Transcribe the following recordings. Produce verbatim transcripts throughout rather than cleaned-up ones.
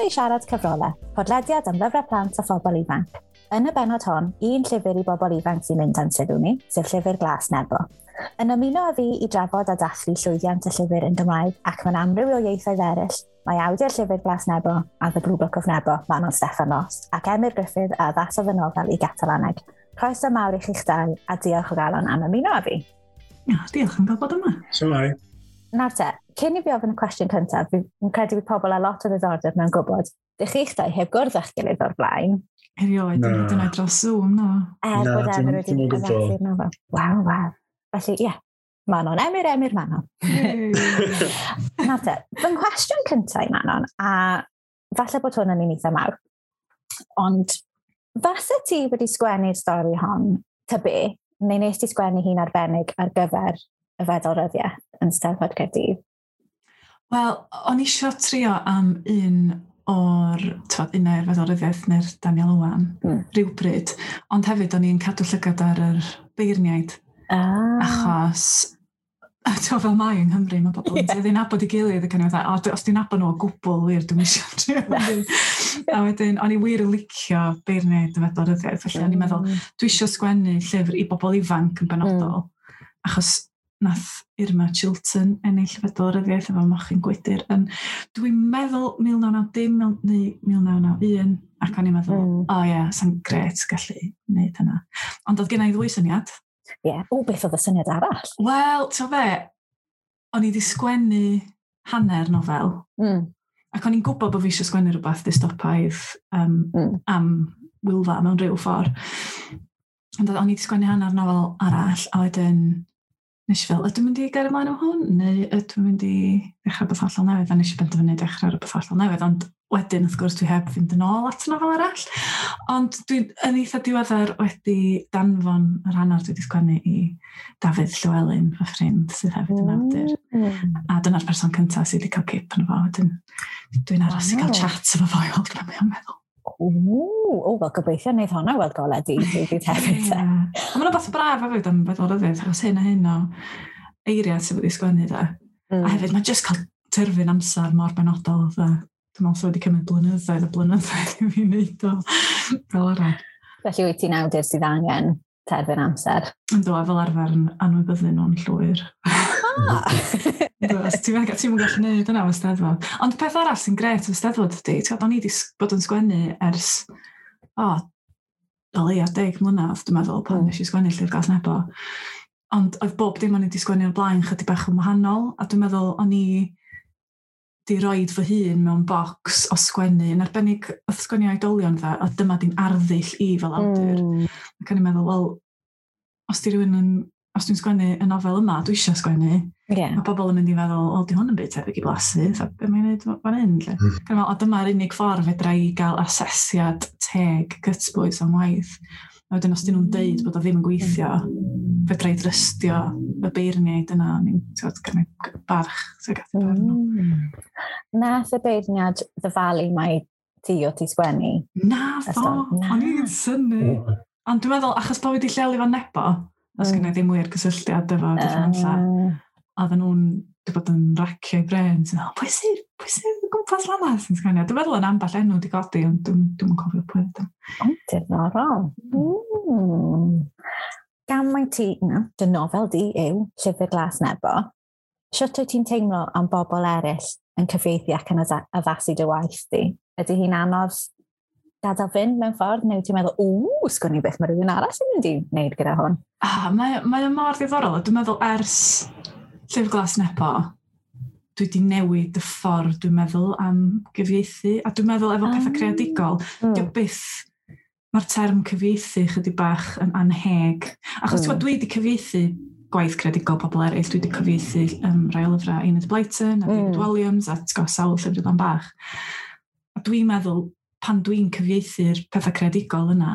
i Siarad Cyfrolau, podlediad am lyfrau plant a phobl ifanc. Yn y bennod hon, un llyfr i bobl ifanc sy'n mynd â'n sylw ni, sef Llyfr Glas Nebo. Yn ymuno â fi i drafod a dathlu llwyddiant y llyfr yn Gymraeg ac mewn amryw o ieithoedd eraill, mae awdur Llyfr Glas Nebo a The Blue Book of Nebo, Manon Steffan Ross, ac Emyr Gruffudd a addasodd y nofel i Gatalaneg. Croeso mawr i chi'ch dau a diolch o galon am ymuno â fi. Ja, diolch am gael bod yma. Shwmae. Nawr te, cyn i fi ofyn y cwestiwn cyntaf, fi'n credu bod pobl â lot o ddiddordeb mewn gwybod, dych chi'ch dau heb gwrdd â'ch gilydd o'r blaen? Erioed, Na. hyd yn oed dros Zoom, no. Er Na, bod dim- Emyr wedi dim o gwbl. addasu'r nofel. Waw, waw. Felly, ie, yeah, Manon, Emyr, Emyr, Manon. Nawr te, fy nghwestiwn cyntaf i Manon, a falle bod hwn yn un eitha mawr, ond fase ti wedi sgwennu'r stori hon, ta be, neu nes ti sgwennu hi'n arbennig ar gyfer y Fedal Ryddiaeth yn Steddfod Caerdydd? Wel, o'n i isio trio am un o'r, twod, un o'r Fedal Ryddiaeth neu'r Daniel Owen, Mm. rhywbryd. Ond hefyd o'n i'n cadw llygad ar yr beirniaid, Ah. achos ti'n fel mae yng Nghymru, mae pobl yn Ie. tueddu nabod ei gilydd ac o'n i fatha, o, dwi- os dwi'n nabod nhw o gwbl wir, dwi'n eisiau trio. A wedyn, o'n i wir yn licio beirniaid y Fedal Ryddiaeth, felly o'n i'n meddwl, Mm. dwi eisiau sgwennu llyfr i bobl ifanc yn benodol, achos nath Irma Chilton ennill y Fedal Ryddiaeth efo Mochyn Gwydyr yn, dwi'n meddwl mil naw naw dim neu mil naw naw un, ac o'n i'n meddwl, Mm. o ie, sa'n gret gallu wneud hynna. Ond oedd gen i ddwy syniad. Ie. O, beth oedd y syniad arall? Wel, ti'n fe, o'n i wedi sgwennu hanner nofel, Mm. ac o'n i'n gwybod bod fi eisiau sgwennu rhywbeth dystopaidd um, Mm. am Wylfa mewn rhyw ffordd. Ond o'n i wedi sgwennu hanner nofel arall, a wedyn nes i fel, ydw i'n mynd i gael ymlaen o hwn, neu ydw i'n mynd i ddechrau rhywbeth hollol newydd? A nes i benderfynu dechrau rhywbeth hollol newydd, ond wedyn, wrth gwrs, dwi heb fynd yn ôl at nofel arall. Ond dwi'n yn eitha diweddar wedi danfon yr hanner dwi wedi sgwennu i Dafydd Llywelyn, fy ffrind, sydd hefyd yn awdur. Mm. A dyna'r person cyntaf sydd wedi cael cip yn fo. Wedyn dwi'n aros i cael Waw. chat efo fo i weld beth mae'n meddwl. O, o, wel gobeithio wneud honna weld golau dydd rhywbryd hefyd. Ie. te. A mae'n rhywbeth braf hefyd am Fedal Ryddiaith, achos hyn a hyn o eiriau sydd wedi sgwennu da. Mm. A hefyd mae jyst cael terfyn amser mor benodol. Dda. Dwi'n meddwl sydd wedi cymryd blynyddoedd a blynyddoedd i fi wneud o fel arall. Felly wyt ti'n awdur sydd angen terfyn amser. Ynddo, a fel arfer yn anwybyddu nhw'n llwyr. Ah! Ynddo, os Ti'n ti'n gallu gwneud yna efo Steddfod. Ond peth arall sy'n gret efo Steddfod ydy, ti'n gwbod, o'n i wedi bod yn sgwennu ers, o, o leia deg mlynedd, dwi'n meddwl, pan Mm. nes i sgwennu Llyfr Glas Nebo. Ond oedd bob dim o'n i wedi sgwennu o'r blaen chydig bach yn wahanol, a dwi'n meddwl o'n i di roid fy hun mewn bocs o sgwennu, yn arbennig oedd sgwennu oedolion dda, a dyma di'n arddull i fel awdur. Mm. Ac o'n i'n meddwl, wel, os di rhywun yn, os dwi'n sgwennu y nofel yma, dwi eisiau sgwennu, Ie. mae pobl yn mynd i feddwl, o, di hwn yn byd tebyg i Blasu, a be mae'n neud fan hyn, lle. Mm. Ac o'n i'n meddwl, o, dyma'r unig ffordd fedra i gael asesiad teg gytbwys o'n waith. A wedyn, os dyn nhw'n deud bod o ddim yn gweithio, fedra i drystio y beirniaid yna, o'n i'n, ti'n gwbod, gynnu barch tuag at y barn nhw. Mm. Nath y beirniad ddyfalu mai ti o ti sgwennu. Na fo, Ystod, na. o'n i'n synnu. Ond dwi'n meddwl, achos bod wedi lleoli fan Nebo, os Mm. mm. ddim wir gysylltiad efo Dyffryn Nantlle, Ah. oedden nhw'n wedi bod yn racio i bren. Sy'n meddwl, pwy sydd, pwy sydd o gwmpas fan'na sy'n sgwennu? Dwi'n meddwl yn ambell enw wedi godi, ond dwi'n dwi'm yn cofio pwy ydyn. O, diddorol. Mm. Gan mai ti, no, dy nofel di yw Llyfr Glas Nebo, sut wyt ti'n teimlo am bobl eraill yn cyfieithu ac yn adda- addasu dy waith di? Ydy hi'n anodd gadael fynd mewn ffordd, neu wyt ti'n meddwl, ww, sgwn i beth mae rhywun arall yn mynd i wneud gyda hwn? Ah, mae, mae o mor ddiddorol. a Dwi'n meddwl ers Llyfr Glas Nebo, dwi wedi newid y ffordd dwi'n meddwl am gyfieithu. A dwi'n meddwl efo pethau Ah. creadigol, Mm. mm. byth, mae'r term cyfieithu chydig bach yn anheg. Achos mm. Mm. dwi wedi cyfieithu gwaith creadigol pobl eraill, dwi wedi cyfieithu um, rai o lyfrau Enid Blyton a David Mm. Walliams a ti'n gwbod, sawl llyfr dan bach. A dwi'n meddwl, pan dwi'n cyfieithu'r pethau creadigol yna,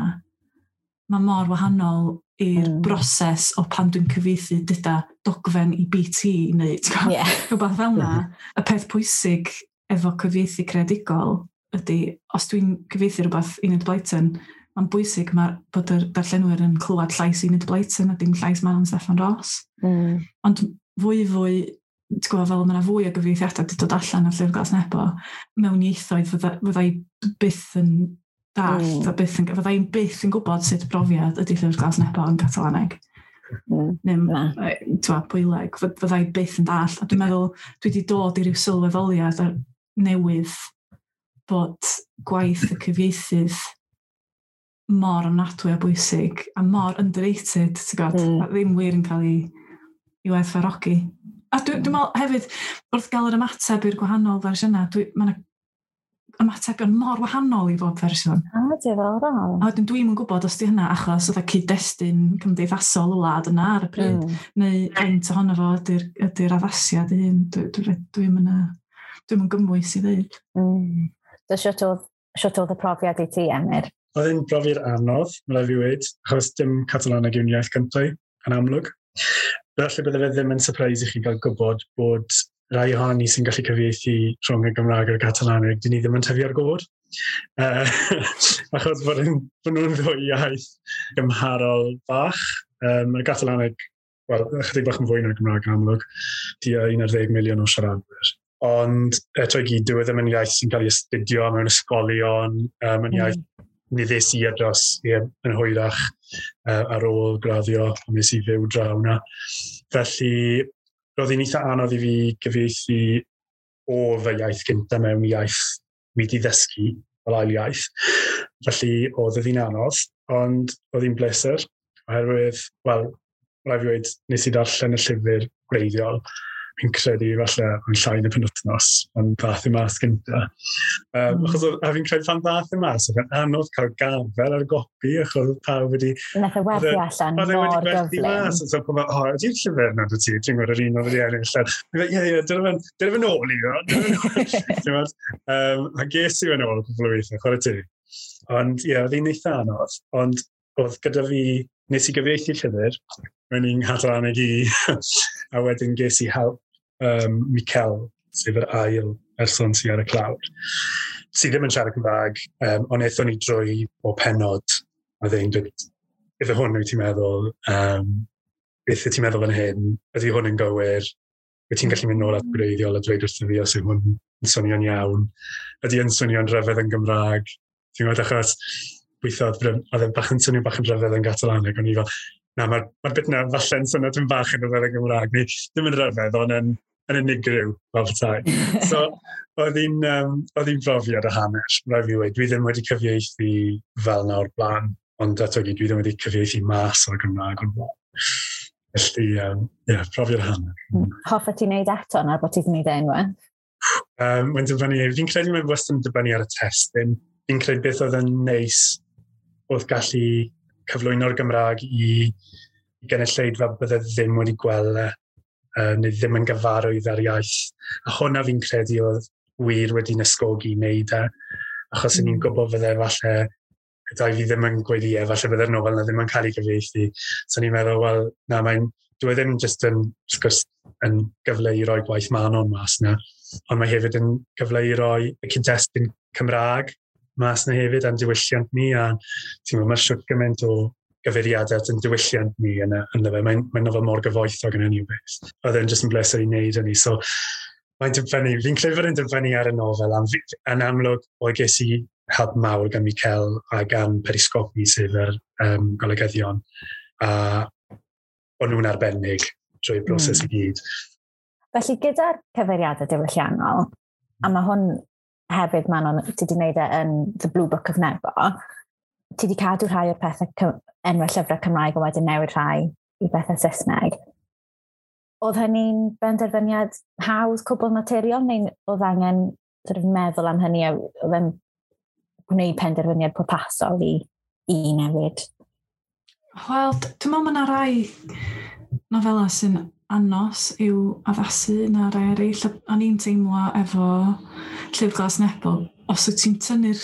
mae mor wahanol i'r Mm. mm. broses o pan dwi'n cyfieithu dyda dogfen i B T neu ti'n gwbod, Ie. rhywbeth fel yna. Y peth pwysig efo cyfieithu creadigol ydy, os dwi'n cyfieithu rhywbeth Enid Blyton, mae'n bwysig ma, bod yr darllenwyr yn clywed llais Enid Blyton a dim llais Manon Steffan Ross. Mm. Ond fwy fwy Ti'n gwybod, fel mae yna fwy o gyfieithiadau wedi dod allan o'r Llyfr Glas Nebo mewn ieithoedd fydda, fydda i byth yn dallt, mm. a byth yn, fydda i'n byth yn gwybod sut brofiad ydy Llyfr Glas Nebo yn Catalaneg. Mm. Neu, ti'n Pwyleg, fydda i byth yn dallt. A dwi'n meddwl, dwi wedi dod i ryw sylweddoliad ar newydd bod gwaith y cyfieithydd mor ofnadwy a bwysig a mor underrated, ti'n gwybod, mm. a ddim wir yn cael ei, ei werthfawrogi. A dwi'n dwi meddwl hefyd, wrth gael yr ymateb i'r gwahanol fersiynau, dwi, mae yna ymatebion mor wahanol i bob fersiwn. A, diddorol. A wedyn dwi'm yn gwybod os di hynna achos oedd y cyd-destun cymdeithasol y wlad yna ar y pryd, mm. neu faint ohono fo ydy'r ydy addasiad ei hun. Dwi'm dwi, dwi yn, dwi'm yn gymwys i ddeud. Mm. So, siwt oedd, siwt oedd y profiad i ti, Emyr? Oedd e'n brofiad anodd, mae'n rhaid fi weud, achos dim Catalaneg yw'n iaith gyntaf, yn amlwg. Felly bydde fe ddim yn surprise i chi gael gwybod bod rai ohonon ni sy'n gallu cyfieithu rhwng y Gymraeg a'r Catalaneg, dyn ni ddim yn tyfu ar gofod. Uh, achos bod, yn, bod nhw'n ddwy iaith gymharol bach. Um, y Gatalaneg, wel, ychydig bach yn fwy na'r Gymraeg yn amlwg, tua un ar ddeg miliwn o siaradwyr. Ond eto i gyd, dyw e ddim yn iaith sy'n cael ei astudio mewn ysgolion, um, yn iaith mm. ni ddes i ar dros ie, yn hwyrach uh, ar ôl graddio, a nes i fyw draw 'na. Felly, roedd hi'n eitha anodd i fi gyfieithu o fy iaith gyntaf mewn iaith wedi ddysgu fel ail iaith. Felly, oedd hi'n anodd, ond oedd hi'n bleser, oherwydd, wel, rhaid fi weud, nes i darllen y llyfr gwreiddiol, fi'n credu falle yn llai na penwythnos, ond ddath i mas gynta. Um, mm. Achos, a fi'n credu pan ddath i mas, oedd yn anodd cael gafel ar gopi, achos oedd pawb wedi... Nath e werthu allan Oedd e wedi mor gwerthu gyflym. mas, so pan o, ydy'r llyfr na dy ti, ti'n gwybod yr un oedd wedi ennill. Fi'n fel, ie, ie, dyna fe'n dyna fe'n ôl i fi. Ti'n gwybod? Um, a ges i fe'n ôl cwpl o weithiau, chwarae teg. Ond ie, oedd hi'n eitha anodd, ond oedd gyda fi, nes i gyfieithu llyfr, mewn i'n Nghatalaneg i, a wedyn ges i help um, Miquel, sef yr ail person sydd ar y clawr, sydd ddim yn siarad Cymraeg, um, ond aethon ni drwy o penod, a dde'n dweud, iddo hwn wyt ti'n meddwl, um, beth wyt ti'n meddwl fan hyn, ydy hwn yn gywir, wyt ti'n gallu mynd nôl at gwreiddiol a dweud wrtho fi os yw hwn yn swnio'n iawn, ydy yn swnio'n rhyfedd yn Gymraeg, ti'n gwybod, achos weithio oedd oedd e'n bach yn swnio bach yn rhyfedd yn Gatalaneg, o'n i fel, na, mae'r ma bit na falle'n swnio tipyn bach yn rhyfedd yn Gymraeg, neu ddim yn rhyfedd, ond yn, yn unigryw, fel petai. So, oedd hi'n um, oedd hi'n brofiad a hanner, rhaid fi weud. Dwi ddim wedi cyfieithu fel na o'r blaen, ond eto gyd, dwi ddim wedi cyfieithu mas o'r Gymraeg o'r blaen. Felly, um, ie, yeah, profiad a hanner. Hoffet ti wneud eto nawr bod ti wedi gwneud e unwaith? Um, mae'n dibynnu, fi'n credu mae'n wastad yn dibynnu ar y testun. Fi'n credu beth oedd yn neis oedd gallu cyflwyno'r Gymraeg i, i gynulleidfa bydde ddim wedi gweld e, uh, neu ddim yn gyfarwydd ar iaith. A hwnna fi'n credu oedd wir wedi'n ysgogi i wneud e, achos o'n i'n Mm. gwybod fydde falle, gyda fi ddim yn gweud ie, falle bydde'r nofel na ddim yn cael ei gyfieithu. So o'n i'n meddwl, wel, na, mae'n, dyw e ddim jyst yn, wrth gwrs, yn gyfle i roi gwaith Manon mas na, ond mae hefyd yn gyfle i roi y cyd-destun Cymraeg mas na hefyd, a'n diwylliant ni, a ti'n gwybod, mae shwt gymaint o gyfeiriadau at yn diwylliant ni yn y, ynddo fe. Mae'n mae nofel mor gyfoethog yn hynny o beth. Oedd e'n jyst yn bleser i wneud hynny. So, mae'n dibynnu, fi'n credu fod e'n dibynnu ar y nofel, am, yn amlwg, oedd ges i help mawr gan Miquel a gan Periscopi, sef yr um, golygyddion, a o'n nhw'n arbennig drwy'r broses Mm. i gyd. Felly gyda'r cyfeiriadau diwylliannol, a mae hwn hefyd, Manon, ti wedi gwneud e yn The Blue Book of Nebo, ti wedi cadw rhai o'r pethau cy- enwau llyfrau Cymraeg a wedyn newid rhai i bethau Saesneg. Oedd hynny'n benderfyniad hawdd, cwbl naturiol, neu oedd angen sort of meddwl am hynny a oedd e'n gwneud penderfyniad pwrpasol i, i newid? Wel, d- dwi'n meddwl mae yna rai nofela sy'n anos i'w addasu na rai eraill. A O'n i'n teimlo efo Llyfr Glas Nebo, os wyt ti'n tynnu'r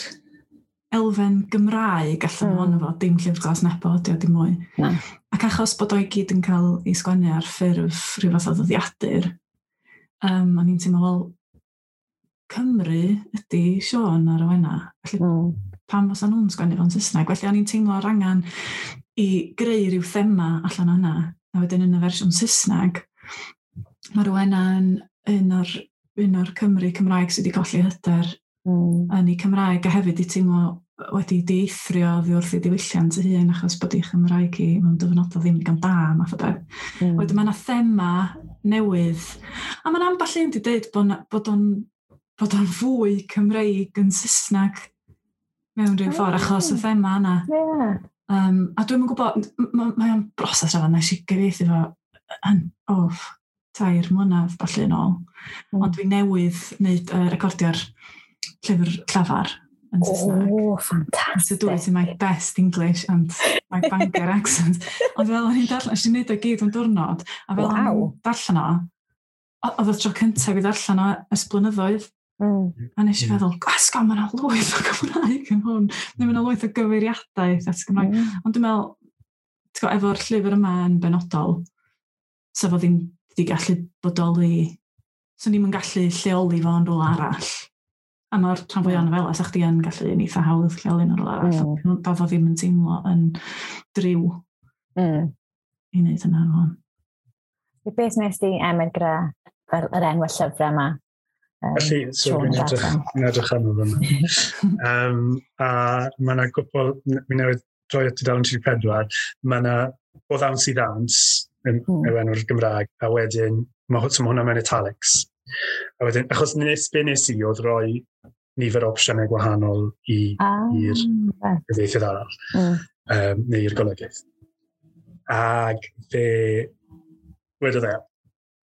elfen Gymraeg allan Mm. ohono fo, dim Llyfr Glas Nebo, ydi o dim mwy. Na. Ac achos bod o i gyd yn cael ei sgwennu ar ffurf rhyw fath o ddyddiadur, um, o'n i'n teimlo, wel, Cymru ydy Siôn a Rowena. Felly Mm. pam fysa nhw'n sgwennu fo'n Saesneg? Felly o'n i'n teimlo yr angen i greu rhyw thema allan o hynna. A wedyn yn y fersiwn Saesneg, Mae Rowena yn un o'r, un o'r Cymry Cymraeg sydd wedi colli hyder mm. yn ei Cymraeg, a hefyd i teimlo wedi dieithrio oddi wrth ei diwylliant ei hun achos bod ei Chymraeg hi mewn dyfynodau ddim digon da, math o beth. Mm. Wedyn mae yna thema newydd, a mae'n ambell un wedi dweud bod, bod o'n bod o'n fwy Cymreig yn Saesneg mewn rhyw ffordd, achos y thema yna. Yeah. Um, a dwi'm yn gwybod, mae o'n broses rafan, nes i gyfieithu fo yn, oh, tair mlynedd falle yn ôl. Mm. Ond dwi newydd wneud uh, recordio'r llyfr llafar yn Saesneg. Oh, fantastic. So do it in my best English and my Bangor accent. Ond fel o'n i'n darllen, nes i wneud o gyd yn diwrnod, a fel o'n Waw. i'n darllen o, o- oedd y tro cyntaf i ddarllen o ers blynyddoedd. Mm. A nes i Mm. feddwl, asgo, mae yna lwyth o Gymraeg yn hwn. Neu mae yna lwyth o gyfeiriadau at Gymraeg. Mm. Ond dwi'n meddwl, ti'n gwbod, efo'r llyfr yma yn benodol, sa fo ddim wedi gallu bodoli, so ni'm yn gallu lleoli fo yn rhywle arall. A mae'r rhan fwyaf o nofela, sa chdi yn gallu yn eitha hawdd lleoli yn rhywle arall. Mm. Mm. Fo ddim yn teimlo yn driw Mm. i wneud yna rwan. Beth nes di, Emyr, gyda fel yr enw llyfrau yma? Um, Felly, so Siôn dwi'n edrych, darllen. dwi'n edrych arno fyna. um, a mae yna gwbl, mi newydd droi at tudalen tri deg pedwar, mae yna o ddawns i ddawns yn Mm. yw enw'r Gymraeg, a wedyn, mae so ma hwnna mewn italics. A wedyn, achos nes, be nes i oedd roi nifer o opsiynau gwahanol i Ah, i'r reit. gyfieithydd arall, Mm. um, neu i'r golygydd. Ag fe wedodd e,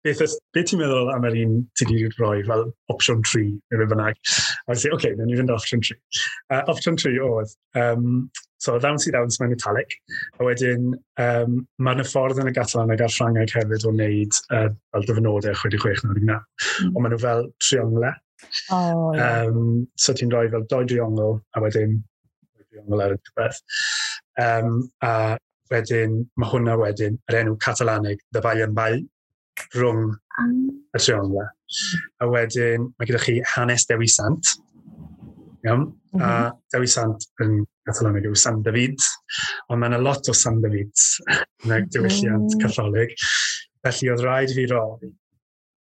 beth, ys- beth ti'n meddwl am yr un ti wedi rhoi fel opsiwn tri, neu be bynnag? A wedi, oce, okay, newn ni fynd opsiwn tri. Uh, opsiwn tri oedd, um, so ddawns i ddawns mewn italic, a wedyn um, mae yna ffordd yn y Gatalaneg a'r Ffrangeg hefyd o wneud uh, fel dyfynodau chwe deg chwech naw deg naw. Mm. Ond maen nhw fel trionglau. Oh, ie. Um, so ti'n rhoi fel doi driongl a wedyn doi driongl ar y diwedd. Um, a wedyn, mae hwnna wedyn, yr enw Catalanig, De Ball en Ball, rhwng Ah. y trionglau. A wedyn, mae gyda chi hanes Dewi Sant. Iawn? A Dewi Sant yn Catalanig yw San David, ond mae yna lot o San Davids yn y diwylliant Mm. Catholig. Felly oedd rhaid i fi roi.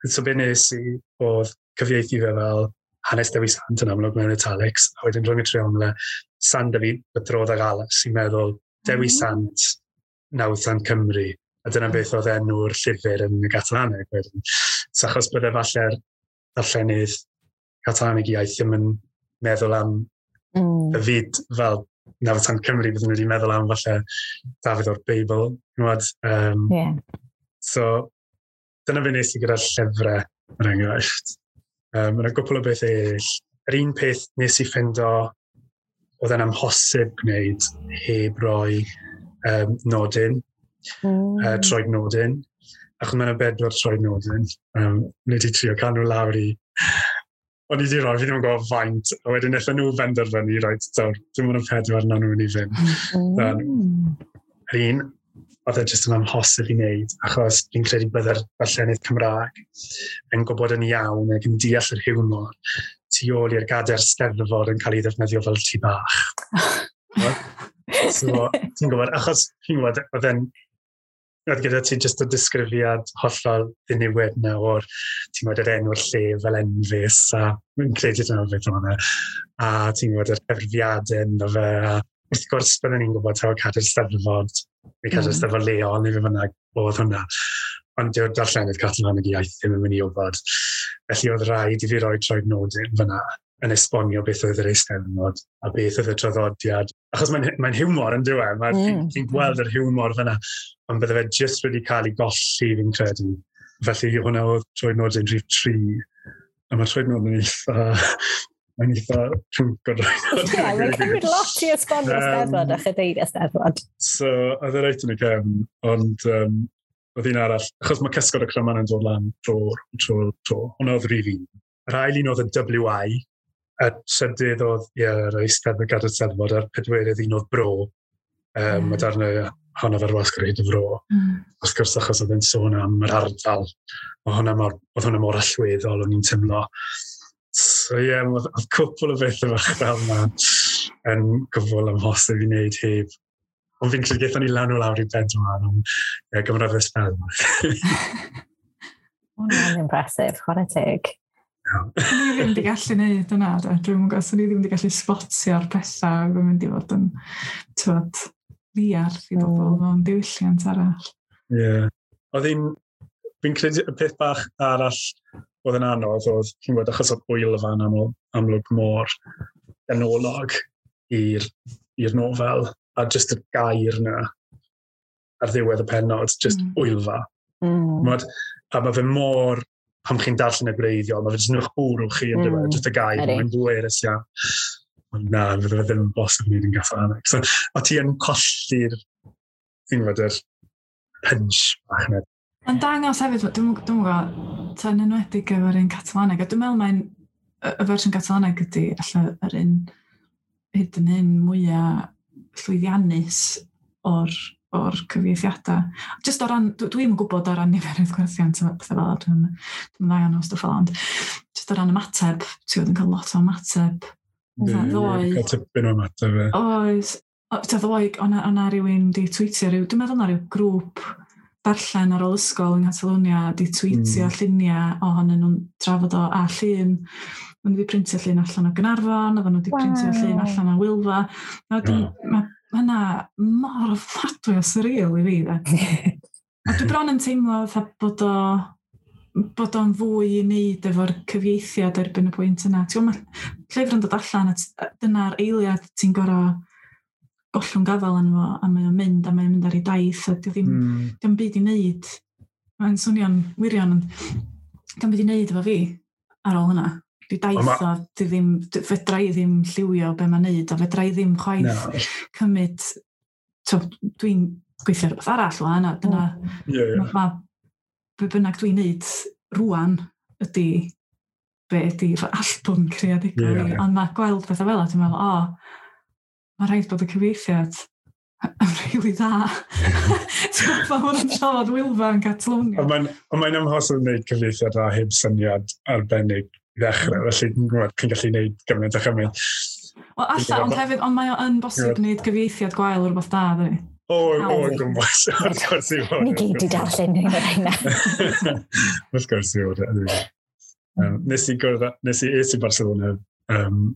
So be nes i oedd cyfieithu fe fel hanes Dewi Sant yn amlwg mewn italics, a wedyn rhwng y trionglau, San David, patró de Gal·les, sy'n meddwl Dewi Mm. Sant, Nawddsant Cymru. A dyna beth oedd enw'r llyfr yn y Gatalaneg wedyn. So achos bydde falle'r darllenydd Catalanig iaith ddim yn meddwl am Mm. David fel Nawddsant Cymru, bydden nhw wedi meddwl am falle Dafydd o'r Beibl. Gwybod? Um, Ie. So, dyna fe nes i gyda'r llyfrau, er enghraifft. Um, Mae yna gwpl o bethau eraill. Yr un peth nes i ffindo oedd yn amhosib gwneud heb roi um, nodyn, Mm. uh, troed nodyn. Achos mae yna bedwar troed nodyn. Um, ni wedi trio cael nhw lawr i... O'n i wedi rhoi, fi ddim yn gwybod faint, a wedyn wnaethon nhw benderfynu, reit, dawr, dim ond y pedwar na nhw'n i fynd. Mm. Yr un, oedd e jyst yn amhosib i wneud, achos fi'n credu byddai'r darllenydd Cymraeg yn gwybod yn iawn ac yn deall yr hiwmor tu ôl i'r gadair steddfod yn cael ei ddefnyddio fel tŷ bach. So, ti'n gwybod, achos ti'n gwybod, oedd e'n oedd gyda ti jyst y disgrifiad hollol ddiniwed na o'r, ti'n gwybod, yr enw'r lle fel enfys, a fi'n credu dyna beth oedd e. A ti'n gwybod, yr cyfrifiadau ynddo fe, a wrth gwrs byddwn ni'n gwybod taw cadair steddfod, neu cadair Mm. steddfod leol, neu fe bynnag oedd hwnna. Ond dyw'r darllenydd Catalaneg iaith ddim yn mynd i wybod. Felly oedd rhaid i fi roi troed nodyn fyna yn esbonio beth oedd yr eisteddfod a beth oedd y traddodiad. Achos mae'n mae hiwmor yn dyw e, mae'n Mm. mm. gweld yr hiwmor fyna, ond bydde fe jyst wedi cael ei golli fi'n credu. Felly hwnna oedd troed nodyn rhif tri. A mae troed nodyn eitha... Mae'n eitha chunk o droed nodyn. Ie, mae'n cymryd lot i esbonio Yym, Steddfod a chadeiriau Steddfod. So, oedd e reit yn y cefn, ond um, oedd un arall, achos mae cysgod y cryman yn dod lan tro, tro, tro. Hwnna oedd rhif un. Yr ail un oedd y W I, y trydydd oedd, ie, yr Eisteddfod Gadair Steddfod, a'r pedwerydd un oedd Bro. Um, Mm. Mae darnau honno fe'r wasg ar hyd y fro. Mm. Wrth gwrs, achos oedd e'n sôn am yr ardal. Oedd hwnna mor, oedd hwnna mor allweddol, o'n i'n teimlo. So ie, yeah, oedd, oedd cwpl o bethau fach fel yna yn gwbl amhosib i wneud heb. Ond fi'n credu gaethon ni lan o lawr i bedwar, ond ie, gymryd fy sbel. Hwnna'n impressive, chwarae teg. Ni ddim wedi gallu neud yna, dwi'n gwybod, so ni ddim wedi gallu spotio'r pethau oedd yn mynd i fod yn, tywod, ddiarth i bobl mm. mewn diwylliant arall. Ie. Yeah. Oedd hi'n, fi'n credu y peth bach arall oedd yn anodd oedd, chi'n gwybod, achos oedd Wylfa'n aml, amlwg mor ganolog i'r i'r nofel, a just y gair na ar ddiwedd y pennod, just mm. Wylfa. Mm. Mod, a mae fe mor, pan chi'n darllen y gwreiddiol, mae fe jyst yn eich bwrw chi yn mm. just y gair, mae'n bwerus iawn. Ond na, fydde fe ddim yn bosib wneud yn Gatalaneg. So, a ti yn colli'r, ti'n gwybod, yr punch bach yna. Mae'n dangos hefyd, dwi'n dwi gwybod, yn enwedig efo'r un Catalaneg, a dwi'n meddwl mae'n, y fersiwn Catalaneg ydy, alla yr un hyd yn hyn mwyaf llwyddiannus o'r o'r cyfieithiadau. Just o ran, dwi'n yn gwybod o ran niferoedd gwerthiant a pethau fel dwi'n dwi dda iawn o stwff fel, ond just o ran ymateb, ti'n gwybod yn cael lot o ymateb. Ddoe. Cael tipyn o ymateb. Oes. Ddoe, o'na rhywun di tweetio, rhyw, dwi'n meddwl na rhyw grŵp darllen ar ôl ysgol yng Nghatalonia di tweetio mm. lluniau ohonyn nhw'n trafod o a llun. Maen nhw wedi printio llun allan o Gaernarfon, oedden nhw wedi wow. printio llun allan o Wylfa. Wedyn, mm. Mae hynna mor ofnadwy o surreal i fi. De. A dwi bron yn teimlo fatha bod o bod o'n fwy i wneud efo'r cyfieithiad erbyn y pwynt yna. Ti'n gwybod, mae llyfr yn dod allan a dyna'r eiliad ti'n gorau gollwng gafel yn fo, a mae o'n mynd, a mae o'n mynd ar ei daith, a di ddim, mm. dio'm byd i wneud. Mae'n swnio'n wirion, ond dio'm byd i wneud efo fi ar ôl hynna. Di daith o, di ddim, fedra i ddim lliwio be mae'n neud, a fedra i ddim chwaith no. cymryd, so, dwi'n gweithio rhywbeth arall wan, a dyna, yeah, yeah. ma, ma, be bynnag dwi'n neud rwan ydy be ydy fy allbwn creadigol yeah, i, ond mae gweld pethau fel 'a, dwi'n meddwl, o, oh, mae rhaid bod y cyfieithiad yn rili dda. Ti'n gwybod, mae hwn yn trafod Wylfa yn Catalonia. Ond mae'n mae'n amhosib wneud cyfieithiad dda heb syniad arbennig i ddechrau, felly ti'n gwybod, chi'n gallu gwneud gymaint a chymaint. Wel, alla, ond hefyd, ond mae o yn bosib gwneud gyfieithiad gwael o rhywbeth da, dydi? O, o, gwmpas, wrth gwrs i fod. Ni gyd i darllen un o'r rheina. Wrth gwrs i fod. Um, nes i gwrdd, nes i es i Barcelona um,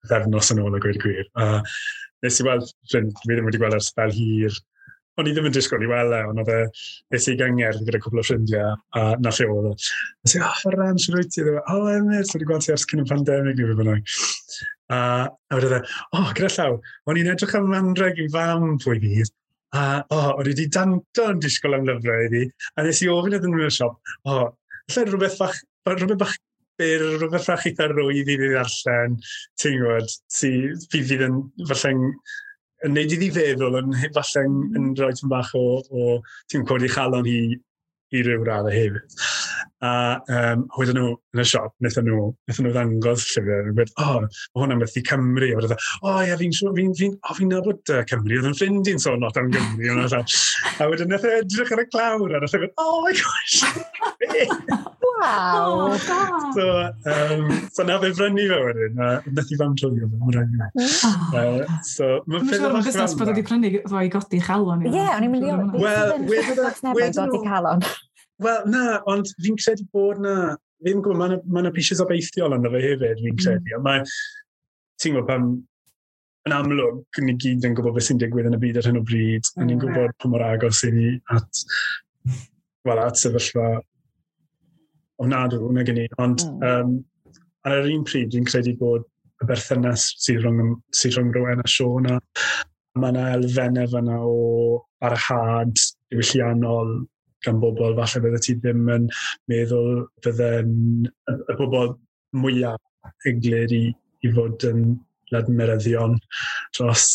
pythefnos yn ôl a gweud y gwir. A nes i weld ffrind, fi ddim wedi gweld ers fel hir. O'n i ddim yn disgwyl i weld e, ond oedd e, nes i gyngerdd gyda cwpl o ffrindiau, a na lle oedd e. Nes i, oh, Ferran, siwr wyt ti? O, Emyr, wedi gweld ti ers cyn y pandemig neu beth bynnag. A, a wedodd e, o, oh, gyda llaw, o'n i'n edrych am anreg i fam pwy fydd, a o, oh, o'n i wedi danto yn disgwyl am lyfrau iddi, a nes i ofyn iddyn nhw yn y siop, o, oh, lle rhywbeth bach, rhywbeth bach byr, rhywbeth bach eitha rwydd i fi ddarllen, ti'n gwybod, si, fi fydd yn, falle'n, yn neud iddi feddwl, yn falle'n yn rhoi tipyn bach o, o ti'n codi chalon hi i ryw raddau hefyd. A um, wedyn nhw yn y siop, wnaethon nhw, wnaethon nhw ddangos llyfr, a gweud, o, oh, mae hwnna'n werth i Cymru. A wedyn, o, oh, ie, fi'n fi, fi, oh, fi'n nabod uh, Cymru, oedd yn ffrind i'n sôn lot am Gymru. A wedyn wnaeth e edrych ar y clawr, a wnaeth e gweud, oh my gosh! Waw! Oh, so, um, so na fe brynu fe wedyn, a wnaeth i fam trwyo fe, mae'n rhaid i fi. Oh. So, mae'n siŵr yn busnes bod wedi prynu fo i godi chalon. Ie, o'n i'n mynd i Wel, wedyn... godi calon. Wel, na, ond fi'n credu bod na, fi'n gwybod, mae yna ma pieces obeithiol ynddo fe hefyd, fi'n mm. credu. Ond mae, ti'n gwybod, pan, yn amlwg, ni gyd yn gwybod beth sy'n digwydd yn y byd ar hyn o bryd, mm. a ni'n gwybod pa mor agos i ni at, wel, at sefyllfa ofnadw, na gen i. Ond mm. um, ar yr un pryd, fi'n credu bod y berthynas sydd rhwng, sydd rhwng Rowan a Siôn, a mae yna elfennau fan'na o barhad diwylliannol gan bobl, falle bydde ti ddim yn meddwl bydde'n y, y bobl mwyaf eglur i, i fod yn ledmeryddion dros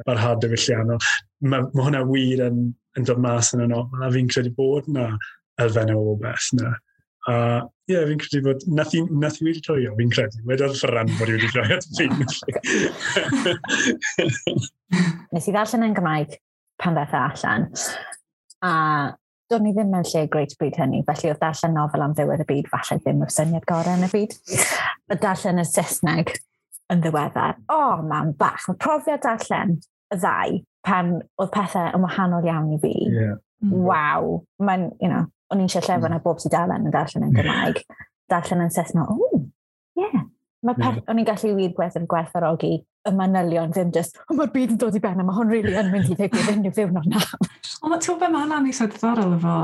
barhad diwylliannol. Mae, mae hwnna wir yn, yn dod mas yn y nofel, a fi'n credu bod yna elfennau o beth yna. A ie, yeah, fi'n credu bod, nath i, nath i wedi joio, fi'n credu. Wedodd Ferran bod i wedi joio at fi. Nes i ddarllen yn Gymraeg pan ddaeth e allan, a do'n i ddim mewn lle great bryd hynny, felly oedd darllen nofel am ddiwedd y byd falle ddim o'r syniad gorau yn y byd. Y darllen y Saesneg yn ddiweddar. O, oh, mam bach, mae profiad darllen y ddau pan oedd pethau yn wahanol iawn i fi. Yeah. Waw, mae'n, you know, O'n i'n eisiau llyfr mm. na bob tudalen yn darllen yn Gymraeg. Darllen yn Saesneg, o, ie. Mae yeah. O'n i'n gallu wir gwerth yn gwerthfawrogi y manylion, ddim just, o, mae'r byd yn dod i ben a mae hwn really yn mynd i ddigwydd unrhyw ddiwrnod na. Ond ti'n gwybod beth, mae hwnna'n eitha diddorol efo,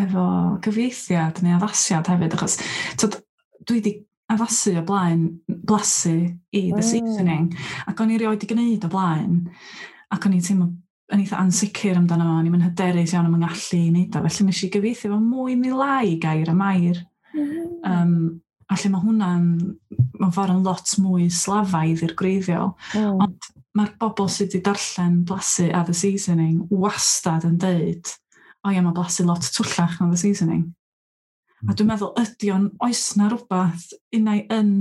efo gyfieithiad neu addasiad hefyd, achos tyd, dwi wedi addasu o blaen Blasu i The mm. Seasoning, ac o'n i rioed wedi gwneud o blaen, ac o'n i'n teimlo yn eitha ansicr amdano fo, o'n i'n hyderus iawn am yng ngallu i wneud o, felly nes i gyfieithu fo mwy neu lai gair am air. Mm. Um, a lle mae hwnna'n, mewn ffordd yn lot mwy slafaidd i'r gwreiddiol. Mm. Ond mae'r bobl sydd wedi darllen Blasu a The Seasoning wastad yn deud, o ia, mae Blasu lot twllach na The Seasoning. A dwi'n meddwl, ydy o'n, oes na rhywbeth unai yn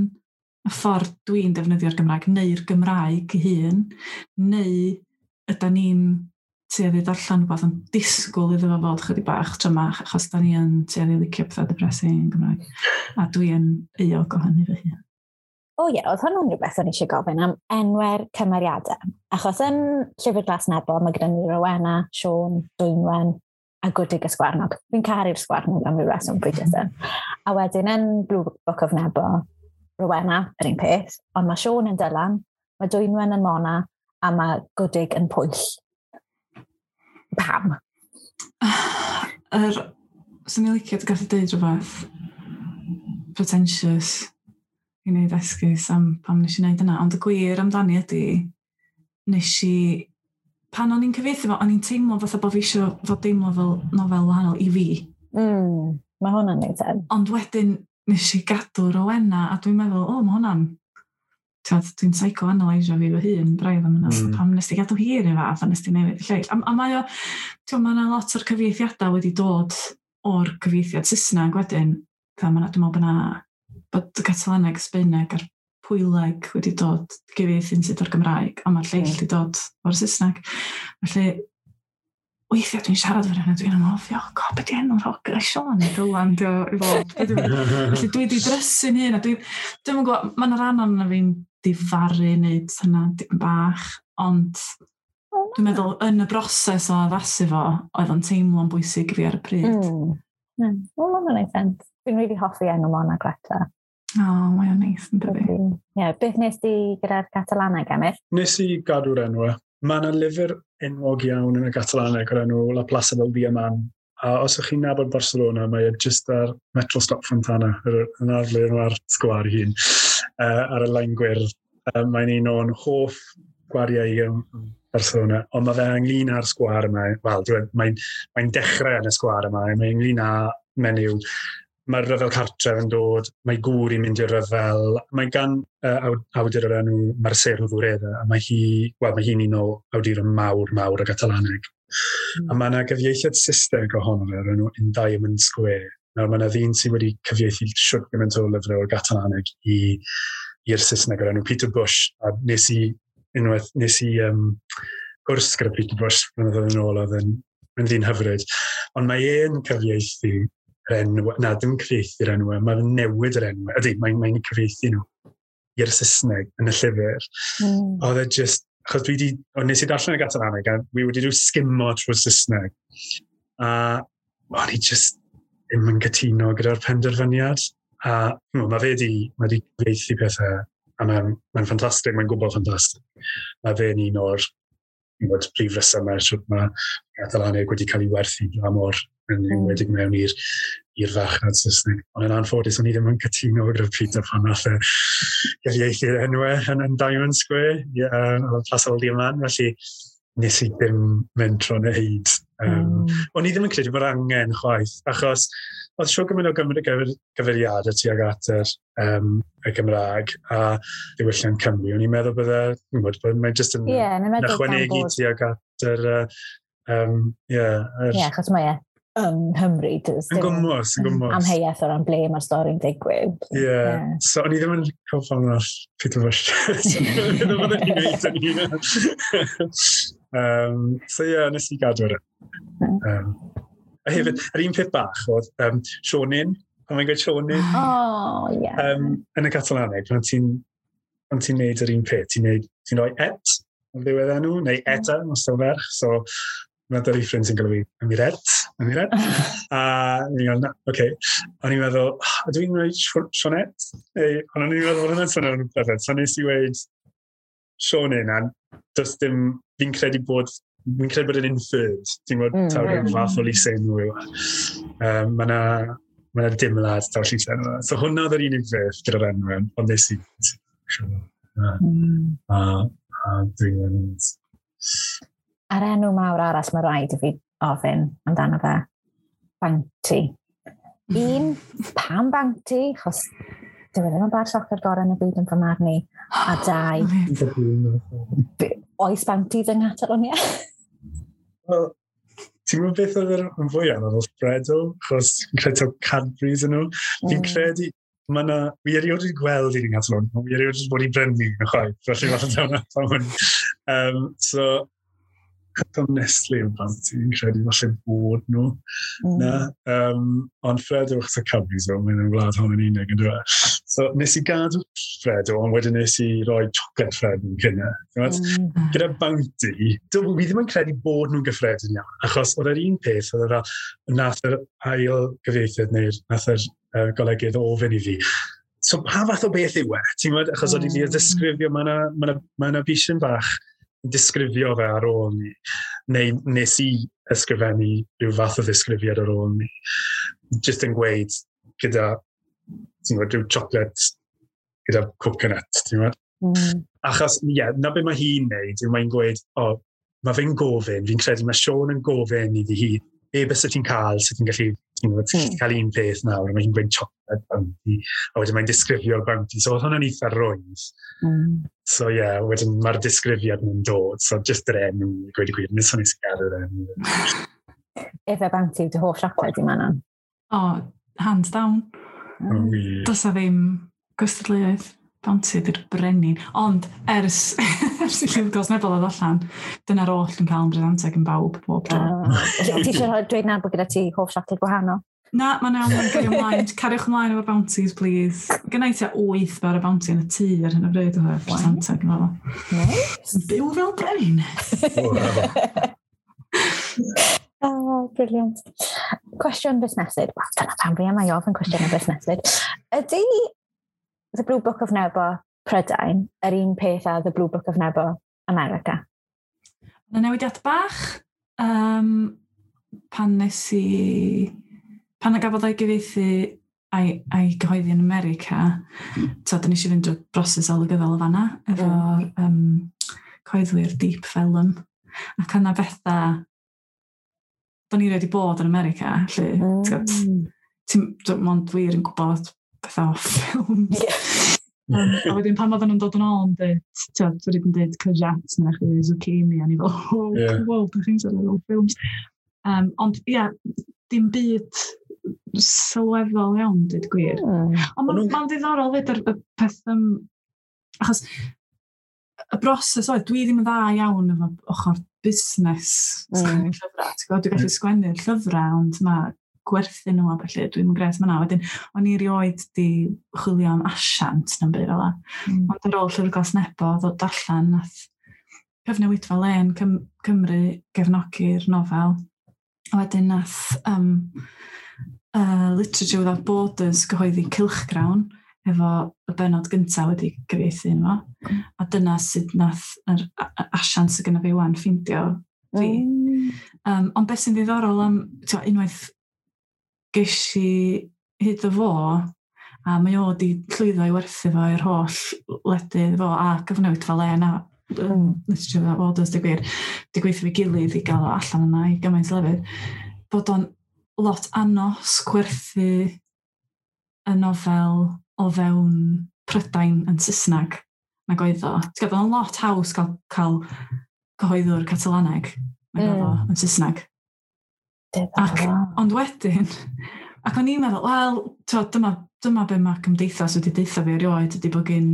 y ffordd dwi'n defnyddio'r Gymraeg, neu'r Gymraeg ei hun, neu ydy ni'n tueddu darllen rhywbeth yn disgwyl iddo fo fod chydig bach trymach, achos da ni yn tueddu licio pethau depressing yn Gymraeg. A dwi yn euog o hynny fy hun. O ie, oedd hwnnw'n rhywbeth o'n i eisiau gofyn am enwau'r cymeriadau. Achos yn Llyfr Glas Nebo, mae gyda ni Rowena, Siôn, Dwynwen a Gwdig y Sgwarnog. Fi'n caru'r Sgwarnog am ryw reswm, dwi jyst yn. A wedyn yn Blue Book of Nebo, Rowena, yr un peth, ond mae Siôn yn Dylan, mae Dwynwen yn Mona, a mae Gwdig yn Pwyll. Pam? Yr, swn i'n licio gallu deud rhywbeth pretentious i wneud esgus am pam nes i wneud yna, ond y gwir amdani ydy, nes i, pan o'n i'n cyfieithu fo, o'n i'n teimlo fatha bod fi eisiau fod deimlo fel nofel wahanol i fi. Mm, mae hwnna'n neud sen. Ond wedyn nes i gadw Rowena, a dwi'n meddwl, o, mae hwnna'n, dwi'n psychoanalysio fi fy hun braidd am hynna, mm. pam nes ti gadw hi yr un fath a nes ti newid y lleill. A, a mae o, ti'n mae yna lot o'r cyfieithiadau wedi dod o'r cyfieithiad Saesneg wedyn. Dwi'n meddwl bod yna, bod y Catalaneg, Sbaeneg a'r Pwyleg wedi dod gyfieithu'n sydd o'r Gymraeg, ond mae'r lleill mm. wedi dod o'r Saesneg. Felly, weithiau dwi'n siarad efo rhywun a dwi'n anghofio, oh god, beth di enw'r hogan, Siôn neu Dylan, di o i fod. Felly dwi wedi drysu'n hun, a dwi, dwi'm yn gwybod, mae yna rhan ohono fi'n difaru wneud hynna dipyn bach, ond dwi'n meddwl yn y broses o addasu fo, oedd o'n teimlo'n bwysig i fi ar y pryd. Mm. Mm. Wel, mae'n gwneud sens. Dwi'n really hoffi enw Mona Greta. O, oh, mae o'n neis yn dydi. Ie, yeah, beth nes di gyda'r Catalaneg, Emyr? Nes i gadw'r enw. Mae yna lyfr enwog iawn yn y Catalaneg o'r enw La Plaza del Diamant. A os ydych chi'n nabod Barcelona, mae e just ar Metro Stop Fontana, yn arle ar sgwâr ei hun, uh, ar y lein gwyrdd. Uh, mae'n un o'n hoff gwariau i yn Barcelona, ond mae fe ynglyn â'r sgwâr yma. Wel, mae'n mae dechrau yn y sgwâr yma, mae'n ynglyn â menyw. Mae'r rhyfel cartref yn dod, mae gŵr i'n mynd i'r rhyfel. Mae gan uh, awdur o'r enw Mercè Rodoreda, a mae hi, wel, mae hi'n un o awduron mawr, mawr y Gatalaneg. Mm. A mae yna gyfieithiad Saesneg ohono fe o'r enw In Diamond Square. Nawr mae yna ddyn sydd wedi cyfieithu siwt gymaint o lyfrau o'r Gatalaneg i i'r Saesneg o'r enw Peter Bush. A nes i, unwaith, nes i um, gwrs gyda Peter Bush blynyddoedd yn ôl, oedd yn, yn ddyn hyfryd. Ond mae e'n cyfieithu yr enw, na, dim cyfieithu'r enw, mae'n newid yr enw. Ydy, mae'n mae cyfieithu nhw i'r Saesneg yn y llyfr. Mm. Oedd e just, achos dwi di, o, nes i darllen y Gatalaneg, a dwi wedi rhyw skimo trwy'r Saesneg. A o'n i just ddim yn cytuno gyda'r penderfyniad. A you know, mae fe di, mae di cyfieithu pethau, a mae'n mae ffantastig, mae'n gwbl ffantastig. Mae fe'n un o'r gwybod, prif resymau sut mae Gatalaneg wedi cael ei werthu dramor yn enwedig mewn i'r i'r farchnad Saesneg. Ond yn anffodus, o'n i ddim yn cytuno gyda Peter pan nath e gyfieithu'r enwau yn, yn Diamond Square, yeah, uh, Plaza del Diamant, felly nes i ddim mentro wneud. Um, mm. O'n i ddim yn credu bod angen chwaith, achos oedd siwr gymaint o gyfeiriadau tuag at yr, um, y Gymraeg a diwylliant Cymru. O'n i'n meddwl bydde, bod mae'n jyst yn, yeah, yn ychwanegu tuag at yr... Um, yeah, yr... yeah, achos mae e yng Nghymru. Yn gwmws, yn gwmws. Amheuaeth o ran ble mae'r stori'n digwydd. Ie, yeah. yeah. So o'n i ddim yn cofio pam nath Peter Bush. Ddim yn i'n gwneud yn hun. Um, so ie, yeah, nes i gadw ar e. Um, a hefyd, yr un peth bach oedd um, Sionin, pan mae'n gweud Sionin. Oh, yeah. Um, yn y Catalaneg, pan ti'n pan ti'n neud yr un peth, ti'n neud, ti'n rhoi et ar ddiwedd enw, neu eta, os ti'n ferch. So Mae da fi ffrind sy'n galw fi Amiret, Amiret. A ni'n gael, na, oce. Okay. O'n i'n meddwl, oh, ydw i'n dweud Sionet? Ei, ond o'n i'n meddwl bod hwnna'n swnio'n perffaith. So nes i weud Sionyn, a does dim, fi'n credu bod, fi'n credu bod yn inferred. Ti'n gwybod, mm, taw rhyw fath o lysenw yw e. Um, mae yna ma 'na dimlad taw llysenw. So hwnna oedd yr unig beth gyda'r enw, ond nes i, a, mm. a, a dwi'n mynd. A'r enw mawr arall mae rhaid i fi ofyn amdano fe, Bounty. Un, pam Bounty? Achos dyw e ddim yn bar soccer gorau yn y byd yn fy marn i. A dau, oes Bounties yng Nghatalonia? Wel, ti'n gwybod beth oedd yn fwy anodd oedd Freddo, achos fi'n credu taw Cadbury's yn nhw. Fi'n mm. credu, mae yna, fi erioed wedi gweld un yng Nghatalon, ond fi erioed wedi bod i brynu yn chwaith, felly falle taw na pam hwn. Um, so, Am Nestle yn Bounty, fi'n credu falle bod nhw. Mm. Na, um, ond Freddo achos y Cadbury's fel, mae'n wlad hon yn unig yn dweud. So nes i gadw Freddo, ond wedyn nes i roi chocolate Fred yn cynna. Mm. Gyda Bounty, dwi fi ddim yn credu bod nhw'n gyffredin iawn, achos oedd yr un peth, oedd yr nath yr ail gyfieithydd neu'r nath yr uh, golygydd ofyn i fi. So pa fath o beth yw e? Ti'n gwybod, achos oedd i fi ddisgrifio, mae yna ma 'na, ma 'na bishyn bach yn disgrifio fe ar ôl ni, neu nes i ysgrifennu rhyw fath o ddisgrifiad ar ôl ni. Just yn gweud gyda, ti'n gwybod, rhyw chocolate gyda coconut, ti'n gwybod? Mm. Achos, ie, yeah, na be mae hi'n neud, yw mae'n gweud, o, oh, mae fe'n gofyn, fi'n credu mae Siôn yn gofyn iddi hi, be byse ti'n cael, sut ti'n gallu, ti'n gwybod, ti'n mm. cael un peth nawr, a mae hi'n gweud chocolate Bounty, a wedyn mae'n disgrifio'r Bounty, so oedd hwnna'n eitha rwydd. Mm. So ie, yeah, wedyn mae'r disgrifiad yn dod, so just yr enw, i gweud y gwir, nes o'n i gadw'r enw. Ife Bounty yw dy hoff siocled i Manon? O, oh, hands down. Mm. Oh, Does a ddim gystadleuaeth. Bounty ydy'r brenin. Ond ers, ers i Llyfr Glas Nebo ddod allan, dyna'r oll yn cael yn bresanteg yn bawb bob tro. Uh, ti eisiau dweud nawr bod gyda ti hoff siocled gwahanol? Na, mae'n iawn, mae'n cario ymlaen. Cariwch ymlaen efo'r Bounties, please. Gynna i tua wyth bar o Bounty yn y tŷ ar hyn o bryd o'r presanteg yn fel. Nice. Byw fel brenin. Oh, brilliant. Cwestiwn busneslyd. Wel, dyna pam fi yma i ofyn cwestiwn busneslyd. Ydy The Blue Book of Nebo Prydain yr un peth â The Blue Book of Nebo America? Yna newidiad bach. Um, pan nes i... Pan y gafodd o'i gyfieithu a'i, a'i gyhoeddi yn America, so, da nes i fynd drwy'r broses olygyddol o fanna, efo'r mm. um, cyhoeddwyr Deep Vellum. Ac yna bethau... Do'n i wedi bod yn America, lle, mm. ti'n mond wir yn gwybod bethau o ffilms. Yeah. Um, a wedyn pan oedden nhw'n dod yn ôl yn dweud, ti'n dweud yn dweud courgette neu chdi zucchini, a ni fel, oh, Yeah. wow, da chi'n siarad o ffilms. Um, ond ie, yeah, dim byd sylweddol iawn, dweud gwir. Mm. Ond O'n mae'n nhw'n- ma ddiddorol fyd yr, y peth, um, achos y broses oedd, dwi ddim yn dda iawn efo ochr busnes sgwennu Mm. llyfrau. Ti'n gwybod, dwi'n gallu sgwennu'r llyfrau, ond mae gwerthu nhw a felly, dwi'n yn gret yna. Wedyn, o'n i erioed di chwilio am asiant na'n byd fel 'a. Mm. Ond ar ôl Llyfr Glas Nebo ddod allan, nath Cyfnewidfa Lên Cym Cymru gefnogi'r nofel. A wedyn nath um, uh, Literature Without Borders gyhoeddi Cylchgrawn efo y bennod gyntaf wedi gyfieithu yno fo. A dyna sut nath yr a- a- asiant sydd gyda fi wan ffeindio fi. Mm. Um, ond beth sy'n ddiddorol am, t'o, unwaith ges i hyd o fo, a mae o wedi llwyddo i werthu fo i'r holl wledydd fo a Cyfnewidfa Lên a um, Literature Without Borders, di gwir, di gweithio fi gilydd i gael o allan yna i gymaint o lefydd, bod o'n lot anos gwerthu y nofel o fewn Prydain yn Saesneg nag oedd o. Ti'n gwybod, o'n lot haws cael, cael cyhoeddwr Catalaneg nag oedd o Mm. yn Saesneg. Diddorol. Ond wedyn, ac o'n i'n meddwl, wel, t'wod, dyma, dyma be mae cymdeithas wedi deutha fi erioed, ydy bod gen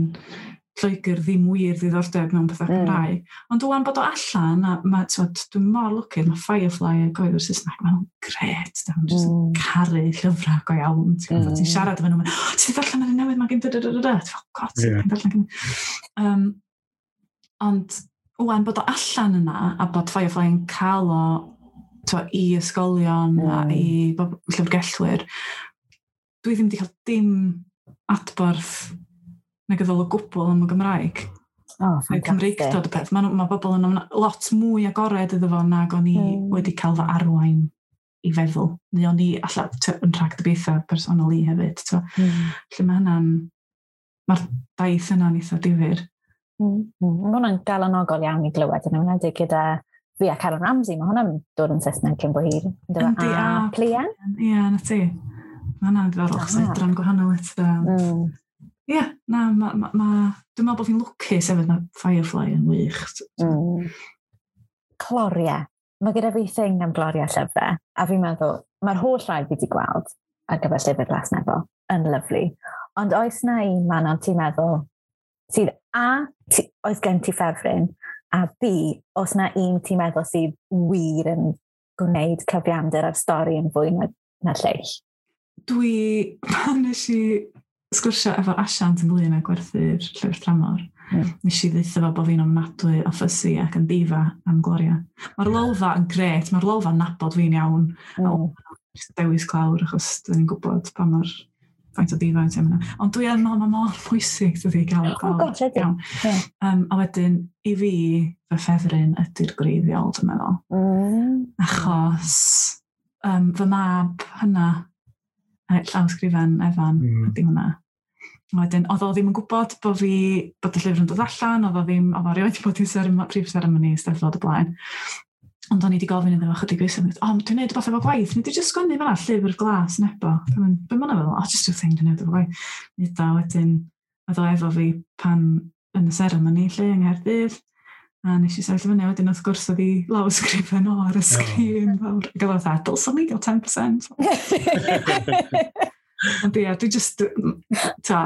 Lloegr ddim wir ddiddordeb mewn pethau Mm. Cymraeg. Ond ŵan bod o allan, a ma, t'wod, dwi'n mor lwcus, mae Firefly a gyhoeddwyr Saesneg, maen nhw'n gret, da, maen nhw'n just Mm. caru llyfrau go iawn. Ti'n gwybod, Mm. ti'n siarad efo nhw, maen, oh, ti 'di darllen yr un newydd, mae gen da da da da da. Ti'n fel, God, ti'n Ie. darllen gen. Um, ond ŵan bod o allan yna, a bod Firefly yn cael o to, i ysgolion mm. a i llyfrgellwyr, dwi ddim wedi cael dim adborth negyddol o gwbl am y Gymraeg. Oh, fantastic. Cymreictod y peth. Mae, mae bobl yn lot mwy agored iddo fo nag o'n i mm. wedi cael fy arwain i feddwl. Neu o'n i alla yn rhagdybiaethau personol i hefyd. Mm. Felly mae hynna'n... Mae'r daith yna'n eitha difyr. Mm. Mm. Mae hwnna'n galonogol iawn i glywed, yn enwedig gyda fi a Karen Ramsey. Mae hwnna'n dod yn Saesneg cyn bo hir. Yndi, a Plian. Ie, na ti. Mae hwnna'n ddiddorol, achos oedran gwahanol eto. Mm. Ie, na, ma, ma, ma, dwi'n meddwl bod fi'n lwcus hefyd, mae Firefly yn wych. Mm. Cloriau. Mae gyda fi thing am gloriau llyfrau, a fi'n meddwl, mae'r holl rai fi wedi gweld ar gyfer Llyfr Glas Nebo yn lyfli. Ond oes na un man ond ti'n meddwl, sydd A, ti, oes gen ti ffefryn, a B, oes na un ti'n meddwl sydd wir yn gwneud cyfiawnder a'r stori yn fwy na, na lleill? Dwi, pan nes i sgwrsio efo'r asiant ynglyn â gwerthu'r llyfr tramor, mm. nes i ddeutha fo bod fi'n ofnadwy o fussy ac yn diva am gloria. Mae'r Lolfa yn gret, mae'r Lolfa'n nabod fi'n iawn. Mm. A dewis clawr, achos dyn ni'n gwybod pa mor faint o diva wyt ti am hynna. Ond dwi yn meddwl, mae mor pwysig dydy gael y clawr. Oh, gosh, ydy. Iawn. Yeah. Um, a wedyn, i fi, fy ffefryn ydy'r gwreiddiol, dwi'n meddwl. Mm. Achos um, fy mab hynna, llawsgrifen Efan, mm. ydy hwnna. A wedyn, oedd o ddim yn gwybod bod fi, bod y llyfr yn dod allan, oedd o ddim, oedd o rioed wedi bod i serem- prif seremoni Eisteddfod o blaen. Ond o'n i wedi gofyn iddo fo chydig oes, o, dwi'n neud rhywbeth efo gwaith, nid i jyst sgwennu fan'na, Llyfr Glas Nebo. Be ma' hwnna fel? O, just rhyw thing dwi'n neud efo gwaith. Neud o wedyn, oedd o efo fi pan yn y seremoni lle yng Nghaerdydd. A nes i sefyll fyny, wedyn wrth gwrs oedd i lawysgrifen o ar y sgrin fawr. Ac oedd o fatha, dylswn ni gael ten percent. Ond ie, dwi just, ta,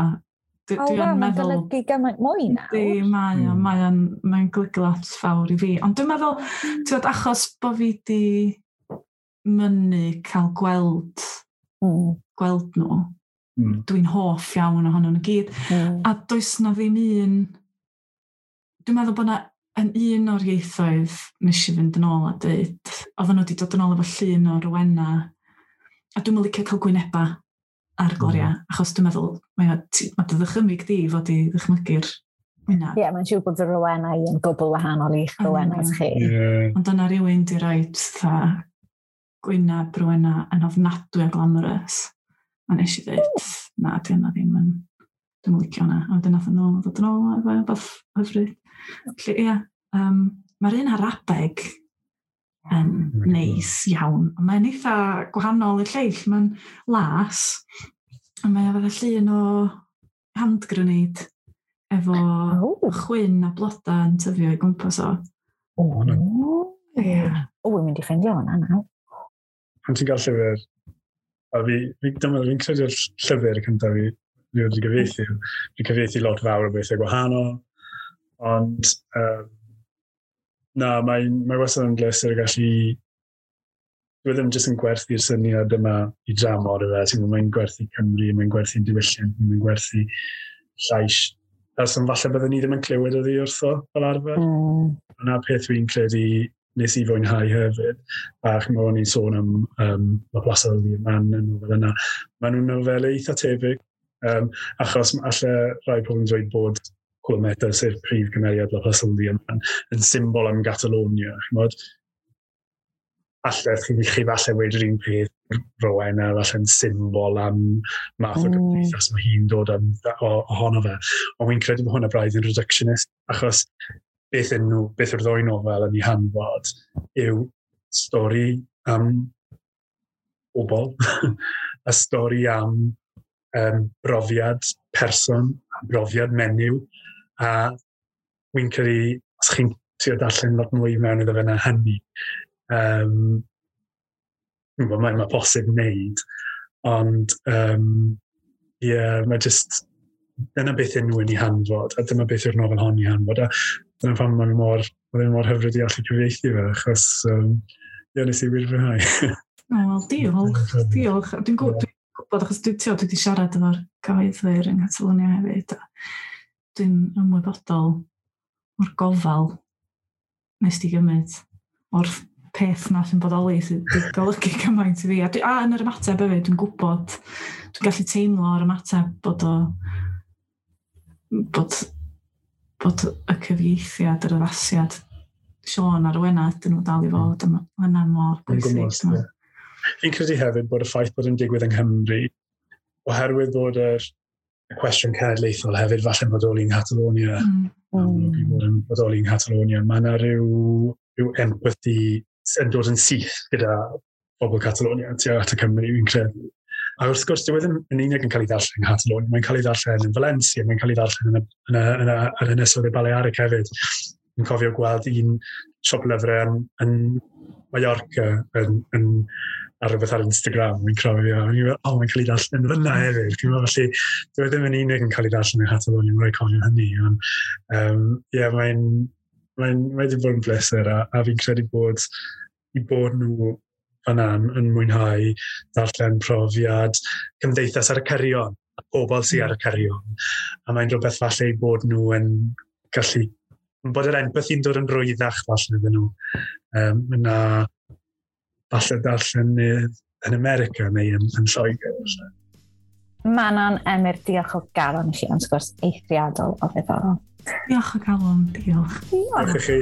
dwi, oh, dwi wow, yn mae'n meddwl... golygu gymaint mwy nawr. Yndi, mae o, mae o'n, mae'n golygu lot fawr i fi. Ond dwi'n meddwl, ti'n gwbod, achos bod fi di mynnu cael gweld, mm. gweld nhw, mm. dwi'n hoff iawn ohonyn nhw gyd. Mm. A does na ddim un... Dwi'n meddwl bod na yn un o'r ieithoedd nes i fynd yn ôl a dweud, oedden nhw wedi dod yn ôl efo llun o Rowena, a dwi'n licio cael gwyneba ar gloria, mm. achos dwi'n meddwl, mae, mae dy ddychymyg di fod i ddychmygu'r wyneb. Ie, yeah, mae'n siŵr bod fy Rowena i yn gwbl wahanol i'ch Rowenas chi. Yeah. Ond yna rhywun di roid fatha gwyneb Rowena yn ofnadwy o glamorous. A nes i dweud, na, di hwnna ddim yn, dwi'n licio hwnna. A wedyn nath nhw ddod yn ôl efo rhywbeth hyfryd. Felly, ie, um, mae'r un Arabeg yn neis iawn. Mae'n eitha gwahanol i'r lleill. Mae'n las, a mae o fatha llun o hand grenade efo oh. chwyn a bloda yn tyfio i gwmpas o. O, hwnna. Ie. O, wi'n mynd i ffeindio hwnna nawr. Pan ti'n cael llyfr, a fi, fi, dyma, fi'n credu'r llyfr cyntaf fi, fi wedi gyfieithu. Fi'n cyfieithu lot fawr o bethau gwahanol, ond um, na, mae'n mae wastad yn bleser gallu... Dwi ddim jyst yn gwerthu'r syniad yma i dramor yfe, ti'n gwybod, mae'n gwerthu Cymru, mae'n gwerthu'n diwylliant, mae'n gwerthu llais. Person falle byddwn ni ddim yn clywed oddi wrtho fel arfer. Mm. Yna peth fi'n credu nes i fwynhau hefyd. A chymod, o'n i'n sôn am um, La Plaza del Diamant yn nofel yna. Maen nhw'n nofelau eitha tebyg, um, achos alle rai pobl yn dweud bod Colometa, sef prif gymeriad La Plaza del Diamant, yn symbol am Catalonia. Chymod, alle chi, chi falle weud yr un peth, Rowena, falle'n symbol am math o Mm. gymdeithas mae hi'n dod am, o, ohono fe. Ond wy'n credu bod hwnna braidd yn reductionist, achos beth yn nhw, beth yw'r ddwy nofel yn ei hanfod yw stori am bobl, a stori am um, brofiad person, brofiad menyw, a wy'n credu, os chi'n trio darllen lot mwy mewn iddo fe na hynny, um, mae, mae posib wneud, ond um, yeah, mae just, dyna beth yn nhw yn ei hanfod, a dyma beth yw'r nofel hon i hanfod, a dyna pam mae'n mor, mae'n mor hyfryd i allu cyfieithu fe, achos um, ie, nes i wir fwynhau. O, wel, diolch, diolch. Dwi'n gw- dwi'n gwybod, achos dwi, tio, dwi wedi siarad efo'r cyhoeddwyr yng Nghatalunia hefyd. A dwi'n ymwybodol o'r gofal nes di gymryd o'r peth na sy'n bodoli sydd wedi golygu cymaint i fi. A, dwi, a yn yr ymateb hefyd, dwi'n gwybod, dwi'n gallu teimlo o'r ymateb bod o, bod, bod y cyfieithiad, yr addasiad, Siôn a'r Rowena, dyn nhw dal i fod, a ma' hynna mor bwysig. Ie. Fi'n credu hefyd bod y ffaith bod yn digwydd yng Nghymru, oherwydd bod yr y cwestiwn cenedlaethol hefyd falle'n bodoli yng Nghatalonia, Mm. amlwg i fod yn bodoli yng Nghatalonia, mae yna rhyw, rhyw empathy yn dod yn syth gyda bobl Catalonia tuag at y Cymru, fi'n credu. A wrth gwrs, dyw e ddim yn unig yn cael ei ddarllen yng Nghatalonia, mae'n cael ei ddarllen yn Valencia, mae'n cael ei ddarllen yn y, yn y, yn y, yn y Ynysoedd y Balearic hefyd. Fi'n cofio gweld un siop lyfrau yn, yn Mallorca yn, yn, ar rhywbeth ar Instagram, fi'n cofio, a fi'n meddwl, o, mae'n cael ei darllen fyna hefyd. Fi'n meddwl, felly, dyw e ddim yn unig yn cael ei darllen yng Nghatalonia, mae'n rhaid cofio hynny. Ond, um, ie, mae'n mae'n mae wedi bod yn bleser, a, a fi'n credu bod i bod nhw fan'na yn, yn mwynhau darllen profiad cymdeithas ar y cyrion, a pobl sydd ar y cyrion. A mae'n rhywbeth falle i bod nhw yn gallu, bod yr empathy'n dod yn rwyddach falle iddyn nhw. Um, na falle darllen yn America neu yn, yn Lloegr. Falle. Manon, Emyr, diolch o galon i chi am sgwrs eithriadol o ddiddorol. Diolch o galon, diolch. Diolch i chi.